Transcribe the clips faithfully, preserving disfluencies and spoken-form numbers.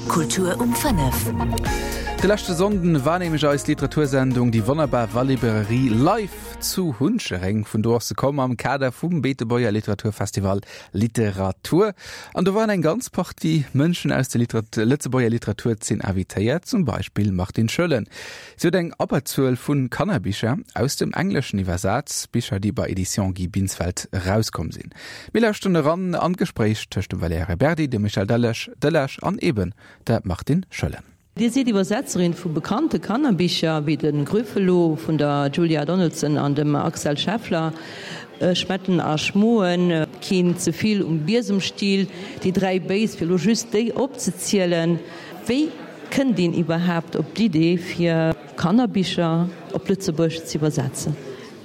Kultur um fënnef. De leschte Sonnden war nämlech eis Literatursendung Déi wonnerbar Wallibrairie live zu Hunchereng. Vun do ass se komm am Kader vum Beetebuerger Literaturfestival Literatur. An do waren eng ganz Partie Mënschen aus der Literat Lëtzebuerger Literaturzeen invitéiert, zum Beispill Martine Schoellen. Si huet eng Abberzuel vu Kannerbicher aus dem Engleschen iwwersat, Bicher, déi bei Editions Guy Binsfeld erauskomm sinn. Mir lauschteren eran an d'Gespréich tëscht dem Valerija Berdi, dem Michel Delage, Delage an eben der Martine Schoellen. Dir sidd Iwwersetzerin vu bekannte Kannerbicher wéi de Grüffelo vun der Julia Donaldson an dem Axel Scheffler, Schmetten a Schmoen, Keen ze vill um Biesemstiel, Déi dräi Béis, fir elo just déi opzezielen. Wéi kënnt een iwwerhaapt op d'Idee fir Kannerbicher op Lëtzebuergesch ze iwwersetzen?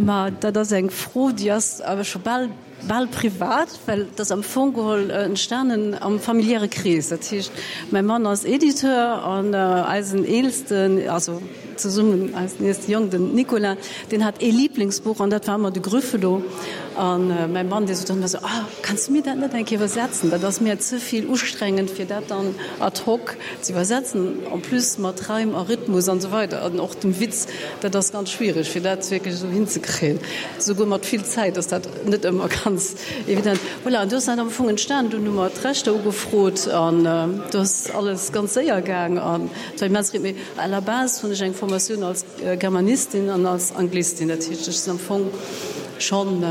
Ma dat ass eng Fro, déi ass awer scho bal, bal privat, well dat ass am Fong geholl entstanen am familiäre Krees. Dat heescht, mäi Mann ass Editeur an eisen eelsten, also zesummen eisen eelste Jong, den Nicolas, deen hat ee Liblingsbuch an dat war ëmmer de Grüffelo. An mäi Mann, dee sot dann ëmmer esou, Ah, kanns du mir dat net eng Kéier iwwersetzen? Dat ass mir ze vill ustrengend, fir dat dann ad hoc ze iwwersetzen, en plus mat Reim a Rhythmus an esou weider an och dem Witz. Dat ass ganz schwiereg, fir dat wierklech esou hinzekréien. Souguer mat vill Zäit ass dat net ëmmer ganz evident. Voilà, an do ass dat am Fong entstan. Dunn hu mer d'Rechter ugefrot an do ass alles ganz séier gaang an et war immens. Mee à la base hunn ech eng Formatioun als Germanistin an als Anglistin. Dat heescht, ech sinn am Fong schonn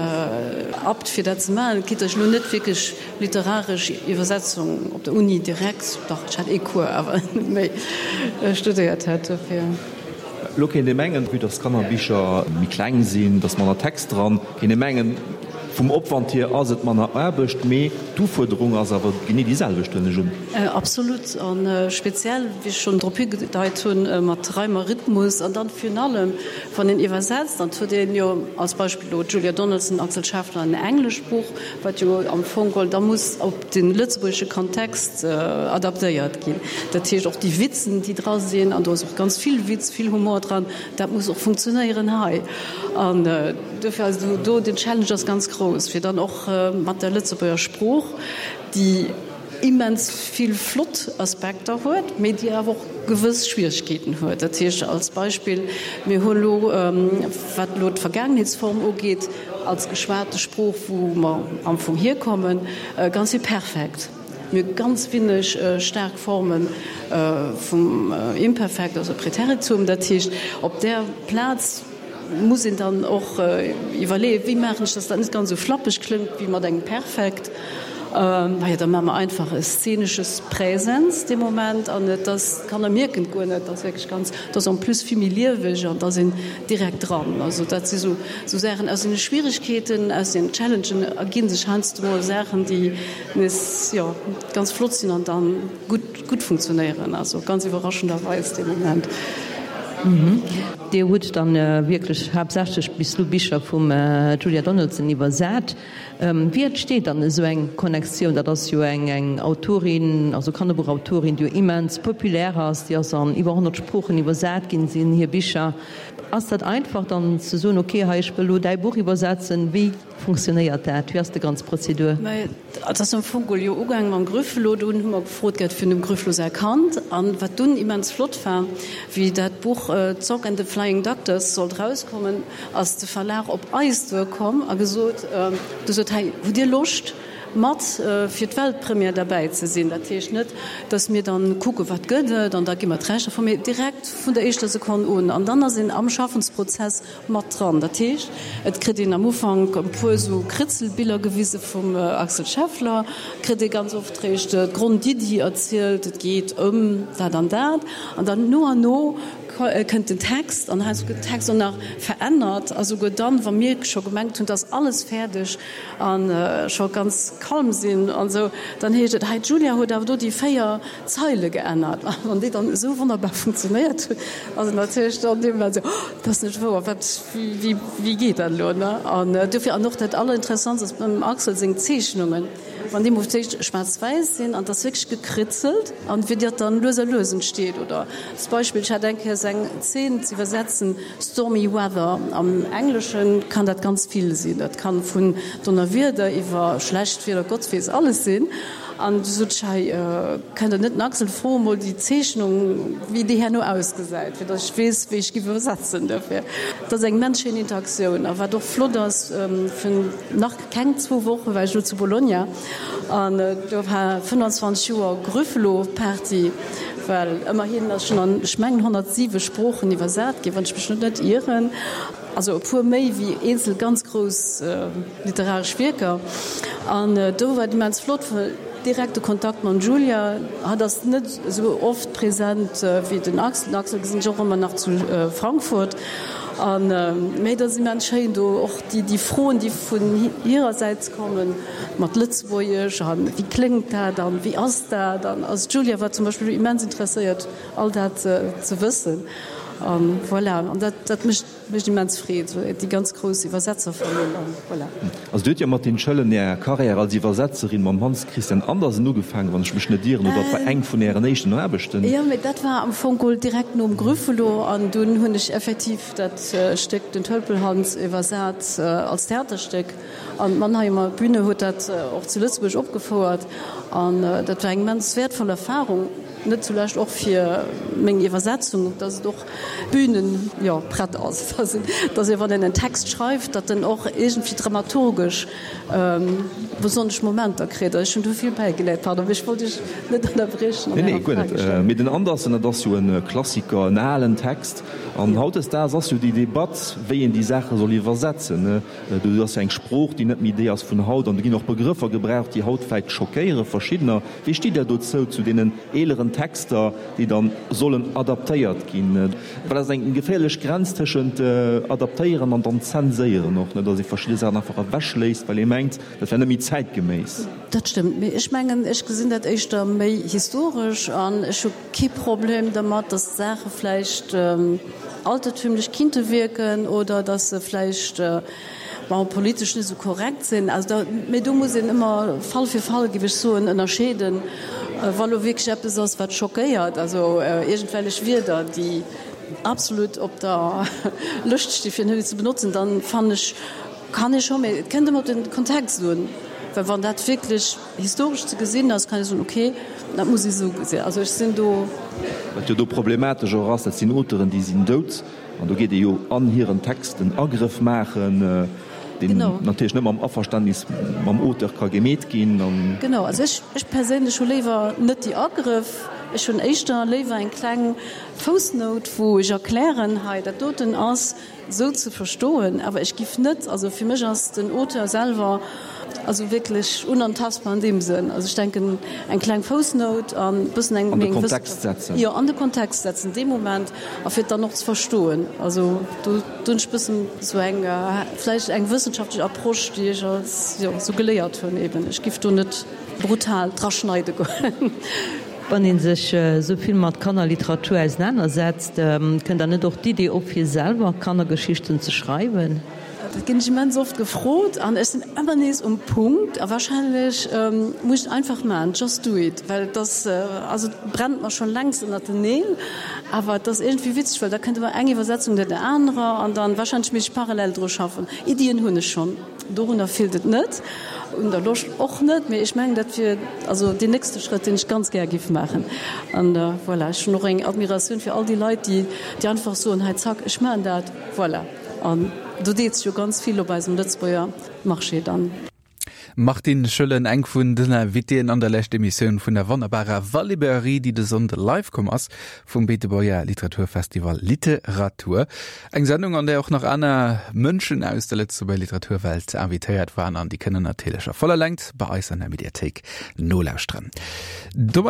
apt fir dat ze maachen, quitte ech elo net wierklech literaresch Iwwersetzung op der Uni direkt, dach ech hat ee Cours awer net méi, studéiert hätt dofir. Elo kéint ee mengen, vue dass d'Kannerbicher méi kleng sinn, dass manner Text dran, kéint ee mengen, vum Opwand hier ass et manner Aarbecht, mee d'Ufuerderung ass awer genee déi selwecht, huelen ech un. Absolut, a speziell, wéi ech schonn drop higedeit hunn, mat Reim a Rhythmus an dann virun allem, wann een iwwersetzt, dann huet een jo als Beispill elo d'Julia Donaldson, Axel Scheffler en englescht Buch, wat jo am Fong geholl da muss op de lëtzebuergesche Kontext adaptéiert ginn. Dat heescht och déi Witzen, déi dra sinn, an do ass och ganz vill Witz, vill Humor dran, dat muss och funktionéieren hei. An dofir ass do den Challenge ass ganz grouss, fir dann och mat der Lëtzebuerger Sprooch, déi immens vill flott Aspekter huet, mee déi awer och gewëss Schwieregkeeten huet. Dat heescht als Beispill, mir hu elo, wat elo d'Vergaangenheetsform ugeet, als geschwate Sprooch, wou mer am Fong hierkommen, ganz vill Perfekt. Mir hu ganz winneg staark Forme vum Imperfekt, also Präteritum. Dat heescht, op där Plaz muss een dann och iwwerleeën, wéi maachen ech, dass dat net ganz esou flappeg klëngt wéi mat engem Perfekt. Majo, da maache mer einfach e szenesches Präsens dee Moment an et ass, d'Kanner mierken et guer net, et ass wierklech ganz, et ass en plus vill méi lieweg an et ass een direkt dran. Also dat si sou Saachen, aus deene Schwieregkeeten, aus den Challengen erginn sech heiansdo mol Saachen, déi nees, jo, ganz flott sinn an dann gutt, gutt funktionéieren, also ganz iwwerraschenderweis dee Moment. Dir hutt dann wierklech haaptsächlech bis elo Bicher vum Julia Donaldson iwwersat. Wéi entsteet dann esou eng Connectioun? Dat ass jo eng eng Autorin, also Kannerbuchautorin, déi jo immens populär ass, déi ass an iwwer honnert Sproochen iwwersat ginn, sinn hir Bicher. Ass dat einfach dann ze soen, ok, hei ech wëll elo däi Buch iwwersetzen? Wéi funktionéiert dat? Wéi ass déi ganz Prozedur? Et ass am Fong geholl jo ugaange mam Grüffelo. Dunn hu mer gefrot gehat vun dem Grüffelo säi Kand. An wat dunn immens flott war, wéi dat Buch Zog and the Flying Doctors sollt rauskommen, ass de Verlag op eis duerkomm a gesot, huet gesot, Hei, hutt Dir Loscht mat fir d'Weltpremière derbäi ze sinn? Dat heescht net, datt mir dann kucken, wat gëtt et an da gi mer d'Rechter vu, mee direkt vun der éischter Sekonn un. An dann ass een am Schaffensprozess mat dran. Dat heescht, et kritt een am Ufank e puer esou Kritzelbiller gewise vum Axel Scheffler, kritt ee ganz oft réischt d'Grondiddi erzielt, et geet ëm dat an dat, an dann no an no kënnt den Text, an heiansdo gëtt den Text och nach verännert, a souguer dann, wa mir scho gemengt hunn, et ass alles fäerdeg a scho ganz calm sinn an esou, dann heescht et, hei d'Julia huet awer do déi véier Zeile geännert. A wann déi dann esou wonnerbar funktionéiert hunn, ass et natierlech dann deem Moment esou, oh, dat ass net wouer, wat, wéi, wéi geet dat elo, ne? An dofir, an och dat Allerinteressantst ass beim Axel seng Zeechnungen, wann déi mol fir d'éischt schwaarz-wäiss sinn an et ass wierklech gekritzelt an wéi dat dann lues a lues entsteet. Oder als Beispill, ech hat eng Kéier eng Zeen ze iwwersetzen, Stormy Weather, am Engleschen kann dat ganz vill sinn, dat kann vun Donnerwieder iwwer schlecht Wieder, Gott weess alles sinn. An du sot ech, hei, kënnt Der net den Axel froen, mol déi Zeechnung, wéi déi herno ausgesäit, fir datt ech weess, wéi ech giff iwwersetzen dofir. Dat ass eng immens schéin Interaktioun. A wat och flott ass, virun nach keng zwou Woche war ech elo zu Bologna an do war fënnanzwanzeg Joer Grüffelo-Party, well ëmmerhin ass schonn an, ech mengen, honnertsiwe Sproochen iwwersat ginn, wann ech mech net ieren. Also e puer méi wéi eenzel ganz grouss literaresch Wierker. An do war et immens flott, well direkte Kontakt mam Julia, hatt ass net esou oft present wéi den Axel. Den Axel gesinn ech och ëmmer nach zu Frankfurt. An, mee et ass immens schéin do och déi, déi Froen, déi vun hirersäits kommen, mat Lëtzebuergesch an wéi kléngt dat an wéi ass dat an also d'Julia war zum Beispill immens interesséiert all dat ze wëssen. An voilà, an dat, dat mécht. Mécht immens Freed, déi ganz grouss Iwwersetzerfamill an voilà. Also Dir hutt jo mat den Schëllen Är Karriär als Iwwersetzerin mam Hans Christian Andersen ugefaangen, wann ech mech net ieren, oder et war eng vun Ären éischten Aarbechten? Jo, mee dat war am Fong geholl direkt nom Grüffelo an dunn hunn ech effektiv dat Stéck Den Tölpelhans iwwersat als Theaterstéck an d'Mannheimer Bühne huet dat och zu Lëtzebuerg opgefouert an dat war eng immens wäertvoll Erfahrung. Net zulescht och fir meng Iwwersetzung, dass et och bühnen, jo, prett ass, dass een, dass ee wann een en Text schreift, datt en och iergendwéi dramaturgesch besonnesch Momenter kritt. Ech hunn do vill bäigeléiert. Pardon, mee ech wollt Iech net ënnerbriechen an Ärer Nee, nee, guer Fro net. stellen. Mee den Andersen, dat ass jo e Klassiker, en alen Text. An hautdesdaags ass jo déi Debatt, wéi een déi Saache soll iwwersetzen. Do ass jo eng Sprooch, déi net méi déi ass vun haut. An do ginn och Begrëffer gebraucht, déi haut vläicht schockéiere verschiddener. Wéi stitt Der dozou, zu deenen eeleren Texter, déi dann sollen adaptéiert ginn? Well dat ass eng geféierlech Grenz tëschent adaptéieren an dann zenséieren och, net, datt ee verschidde Saachen einfach ewechléisst, well ee mengt, dat wär net méi zäitgeméiss. Dat stëmmt, mee ech mengen, ech gesinn dat éischter méi historesch an ech hu kee Problem dermat, datt Saache vläicht altertümlech kinnte wierken oder datt se vläicht, bon, politesch net esou korrekt sinn. Also da, mee do muss een ëmmer Fall fir Fall, géif ech soen, ënnerscheeden, wa lo wierklech eppes ass, wat schockéiert, also iergendwellech Wierder, déi absolut op der Lëscht sti fir net ze benotzen, dann fannen ech, kann ee scho, mee et kënnt ëmmer op de Kontext un, well wann dat wierklech historesch ze gesinn ass, kann ee soen, okay, dat muss ee sou gesinn. Also ech sinn do. Wat jo do problematesch och ass, dat sinn Auteuren, déi sinn dout. An do geet ee jo an hiren Text en Agrëff maachen, deen natierlech net mam Averständnis mam Auteur ka gemeet ginn. Genau, also ech, ech perséinlech hu léiwer net déi Agrëff. Ech hunn éischter léiwer eng kleng Foussnout, wou ech erklären, hei dat doten ass esou ze verstoen, awer ech giff net, also fir mech ass den Auteur selwer also wierklech unantastbar an deem Sënn. Also ech denken eng kleng Foussnout an e bëssen eng An de Kontext setzen. Jo, an de Kontext setzen dee Moment a fir et dann och ze verstoen. Also do hunn ech bëssen esou eng vläicht eng wëssenschaftlech Approche, déi ech als, jo, esou geléiert hunn eben. Ech giff do net brutal draschneide goen. Wann ee sech esou vill mat Kannerliteratur ausenanersetzt, kënnt dann net och d'Idee op, fir selwer Kannergeschichten ze schreiwen? Dat ginn ech immens oft gefrot an ech sinn ëmmer nees um Punkt a wahrscheinlech muss ech et einfach maachen, just do it, well et ass, also et brennt mer schonn längst ënnert den Neel, awer et ass iergendwéi witzeg, well da kënnt ëmmer eng Iwwersetzung no der anerer an dann wahrscheinlech misst ech parallel dru schaffen. Iddien hunn ech schonn, dorunner feelt et net, un der Loscht och net, mee ech mengen dat wier also deen nächste Schrëtt, deen ech ganz gär giff maachen an voilà, ech hunn och eng Admiratioun fir all déi Leit, déi déi einfach soen, hei zack, ech maachen dat, voilà. An do deet sech jo ganz vill op eisem Lëtzebuerger Marché dann. Martine Schoellen, eng vun den Invitéen an der lescht Emissioun vun der wonnerbarer Walibrairie, déi de Sonnde live komm ass vum Beetebuerger Literaturfestival Literatur. Eng Sendung, an där och nach aner Mënschen aus der Lëtzebuerger Literaturwelt invitéiert waren an déi kënnen natierlech a voller Längt bei eis an der Mediathéik nolauschteren. Domat.